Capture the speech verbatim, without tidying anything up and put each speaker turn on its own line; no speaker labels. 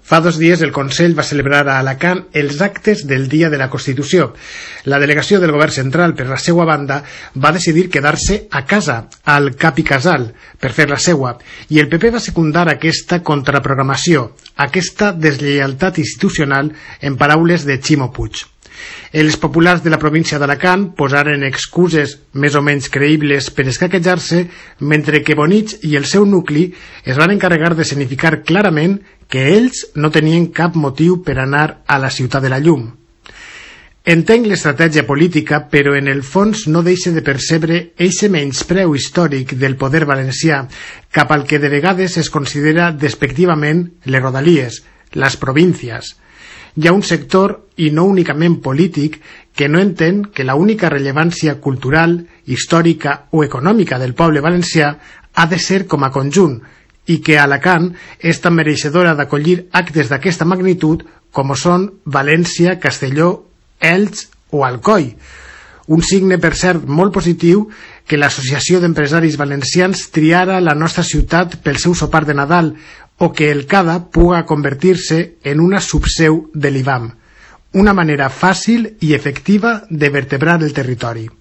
Fa dos dies el Consell va celebrar a Alacant els actes del Dia de la Constitució. La delegació del Govern Central, per la seva banda, va decidir quedar-se a casa, al Cap i Casal, per fer la seva, i el P P va secundar aquesta contraprogramació, aquesta deslleialtat institucional, en paraules de Ximo Puig. Els populars de la província d'Alacant posaren excuses més o menys creïbles per escaquejar-se, mentre que Bonich i el seu nucli es van encarregar de significar clarament que ells no tenien cap motiu per anar a la ciutat de la llum. Entenc l'estratègia política, però en el fons no deixa de percebre eixe menyspreu històric del poder valencià cap al que de vegades es considera despectivament les rodalies, les províncies. Hi ha un sector, i no únicament polític, que no entén que la única rellevància cultural, històrica o econòmica del poble valencià ha de ser com a conjunt, i que Alacant és tan mereixedora d'acollir actes d'aquesta magnitud com són València, Castelló, Elx o Alcoi. Un signe, per cert, molt positiu que l'Associació d'Empresaris Valencians triara la nostra ciutat pel seu sopar de Nadal, o que el CADA puga convertir-se en una subseu de l'I B A M, una manera fàcil i efectiva de vertebrar el territori.